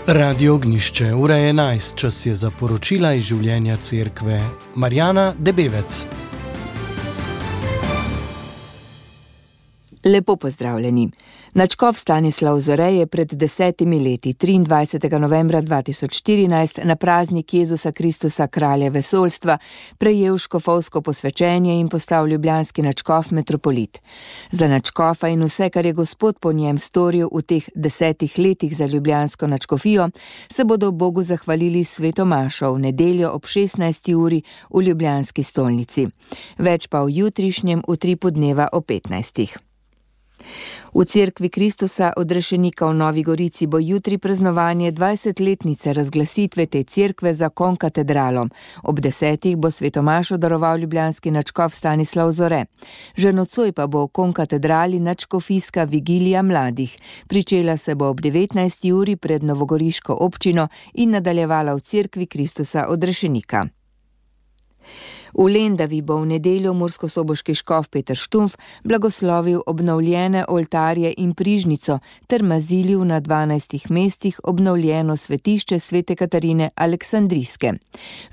Radio Ognjišče, ura je 11, čas je za poročila iz življenja cerkve. Marjana Debevec. Lepo pozdravljeni. Nadškof Stanislav Zore je pred 10 leti, 23. novembra 2014, na praznik Jezusa Kristusa, kralja vesoljstva, prejel škofovsko posvečenje in postal ljubljanski nadškof metropolit. Za nadškofa in vse, kar je Gospod po njem storil v teh 10 letih za ljubljansko nadškofijo, se bodo Bogu zahvalili s sveto mašo v nedeljo ob 16. uri v ljubljanski stolnici. Več pa v jutrišnjem utripu dneva o 15. V cerkvi Kristusa odrešenika v Novi Gorici bo jutri praznovanje 20-letnice razglasitve te cerkve za konkatedralo. Ob 10. bo svetomašo daroval ljubljanski nadškof Stanislav Zore. Že nocoj pa bo v konkatedrali nadškofijska vigilija mladih. Pričela se bo ob 19. uri pred novogoriško občino in nadaljevala v cerkvi Kristusa odrešenika. V Lendavi bo v nedeljo murskosoboški škof Peter Štumf blagoslovil obnovljene oltarje in prižnico ter mazilil na 12 mestih obnovljeno svetišče svete Katarine Aleksandrijske.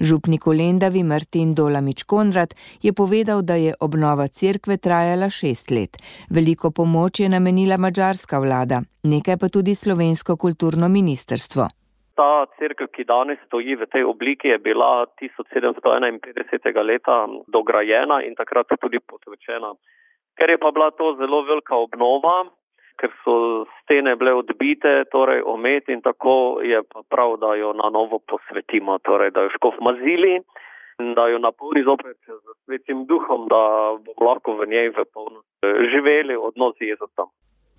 Župnik v Lendavi Martin Dolamič-Konrad je povedal, da je obnova cerkve trajala 6 let. Veliko pomoč je namenila madžarska vlada, nekaj pa tudi slovensko kulturno ministrstvo. Ta cerkev, ki danes stoji v tej obliki, je bila 1751. leta dograjena in takrat tudi posvečena. Ker je pa bila to zelo velika obnova, ker so stene bile odbite, torej omet, in tako je pa prav, da jo na novo posvetimo, torej da jo škof mazili in da jo napolni zopet z svetim duhom, da bomo lahko v njej v polnosti živeli odnos z Jezusom.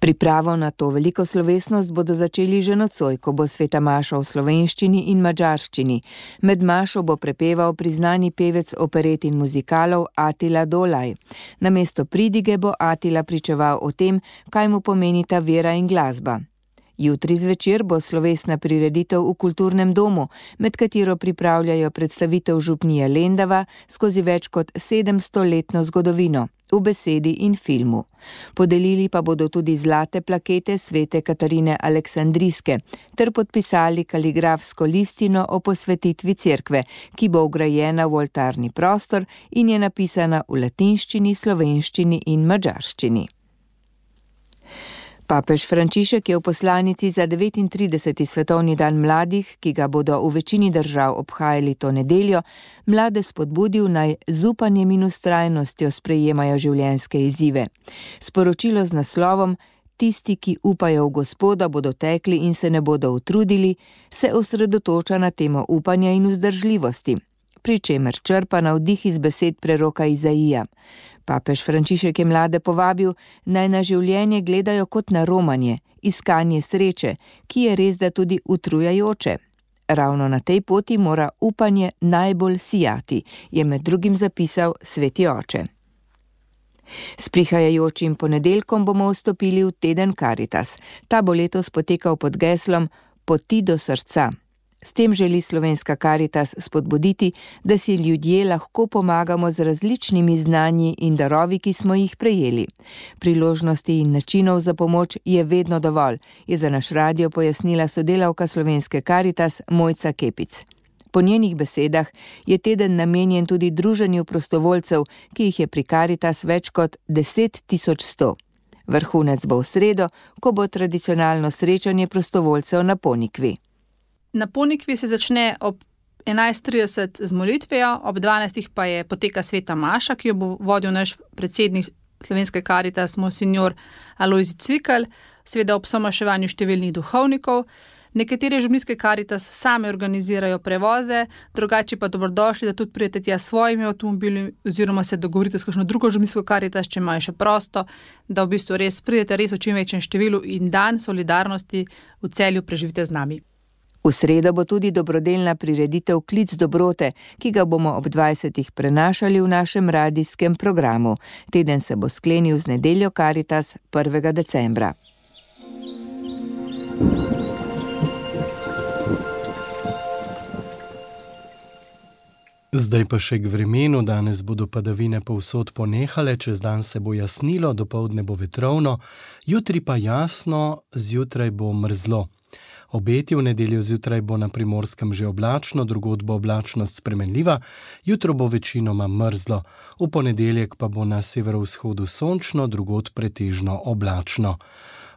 Pripravo na to veliko slovesnost bodo začeli že nocoj, ko bo sveta maša v slovenščini in madžarščini. Med mašo bo prepeval priznani pevec operet in muzikalov Atila Dolaj. Namesto pridige bo Atila pričeval o tem, kaj mu pomenita vera in glasba. Jutri zvečer bo slovesna prireditev v kulturnem domu, med katero pripravljajo predstavitev župnije Lendava skozi več kot 700-letno zgodovino, v besedi in filmu. Podelili pa bodo tudi zlate plakete svete Katarine Aleksandrijske ter podpisali kaligrafsko listino o posvetitvi cerkve, ki bo vgrajena v oltarni prostor in je napisana v latinščini, slovenščini in madžarščini. Papež Frančišek je v poslanici za 39. svetovni dan mladih, ki ga bodo v večini držav obhajali to nedeljo, mlade spodbudil naj z upanjem in vztrajnostjo sprejemajo življenjske izzive. Sporočilo z naslovom Tisti, ki upajo v Gospoda, bodo tekli in se ne bodo utrudili, se osredotoča na temo upanja in vzdržljivosti, pri čemer črpa navdih iz besed preroka Izaija. Papež Frančišek je mlade povabil, naj na življenje gledajo kot na romanje, iskanje sreče, ki je res da tudi utrujajoče. Ravno na tej poti mora upanje najbolj sijati, je med drugim zapisal sveti oče. S prihajajočim ponedeljkom bomo vstopili v teden Karitas. Ta bo letos potekal pod geslom Poti do srca. S tem želi slovenska Karitas spodbuditi, da si ljudje lahko pomagamo z različnimi znanji in darovi, ki smo jih prejeli. Priložnosti in načinov za pomoč je vedno dovolj, je za naš radio pojasnila sodelavka slovenske Karitas Mojca Kepic. Po njenih besedah je teden namenjen tudi druženju prostovoljcev, ki jih je pri Karitas več kot 10.100. Vrhunec bo v sredo, ko bo tradicionalno srečanje prostovoljcev na Ponikvi. Na Ponikvi se začne ob 11.30 z molitvijo, ob 12. pa je poteka sveta maša, ki jo bo vodil naš predsednik slovenske Karitas, monsignor Alojzij Cvikl, seveda ob somaševanju številnih duhovnikov. Nekatere župnijske Karitas same organizirajo prevoze, drugače pa dobrodošli, da tudi pridete tja s svojimi avtomobili oziroma se dogovorite s kakšno drugo župnijsko Karitas, če imajo še prosto, da v bistvu res pridete res v čim večjem številu in dan solidarnosti v Celju preživite z nami. V sredo bo tudi dobrodelna prireditev Klic dobrote, ki ga bomo ob 20. prenašali v našem radijskem programu. Teden se bo sklenil z nedeljo Karitas 1. decembra. Zdaj pa še k vremenu. Danes bodo padavine povsod ponehale, čez dan se bo jasnilo, dopoldne bo vetrovno, jutri pa jasno, zjutraj bo mrzlo. Obeti: v nedeljo zjutraj bo na Primorskem že oblačno, drugod bo oblačnost spremenljiva, jutro bo večinoma mrzlo. V ponedeljek pa bo na severovzhodu sončno, drugod pretežno oblačno.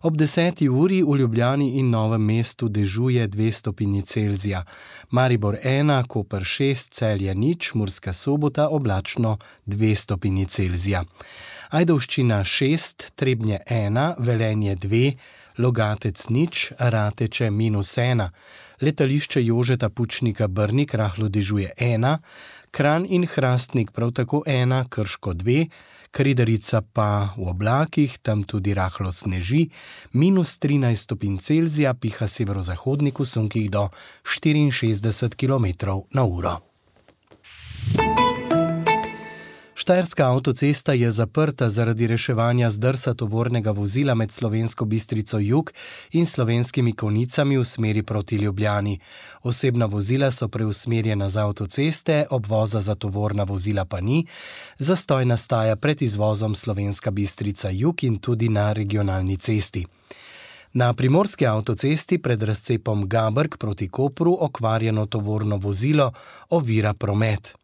Ob 10. uri v Ljubljani in Novem mestu dežuje 2 stopinji Celzija. Maribor 1, Koper 6, Celje 0, Murska Sobota oblačno 2 stopinji Celzija. Ajdovščina 6, Trebnje 1, Velenje 2, Logatec 0, Rateče -1. Letališče Jožeta Pučnika Brnik rahlo dežuje 1, Kranj in Hrastnik prav tako 1, Krško 2, Kredarica pa v oblakih, tam tudi rahlo sneži, -13 stopinj Celzija, piha severozahodnik v sunkih do 64 km/h. Štajerska avtocesta je zaprta zaradi reševanja zdrsa tovornega vozila med Slovensko Bistrico jug in Slovenskimi Konjicami v smeri proti Ljubljani. Osebna vozila so preusmerjena z avtoceste, obvoza za tovorna vozila pa ni. Zastoj nastaja pred izvozom Slovenska Bistrica jug in tudi na regionalni cesti. Na primorski avtocesti pred razcepom Gabrk proti Kopru okvarjeno tovorno vozilo ovira promet.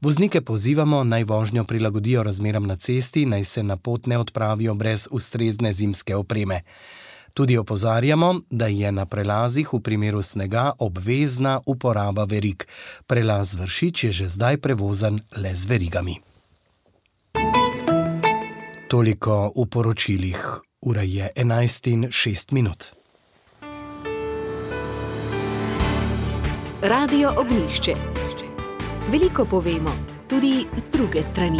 Voznike pozivamo, naj vožnjo prilagodijo razmeram na cesti, naj se na pot ne odpravijo brez ustrezne zimske opreme. Tudi opozarjamo, da je na prelazih v primeru snega obvezna uporaba verig. Prelaz Vršič je že zdaj prevozen le z verigami. Toliko v poročilih. Ura je 11:06. Radio Ognjišče. Veliko povemo, tudi z druge strani.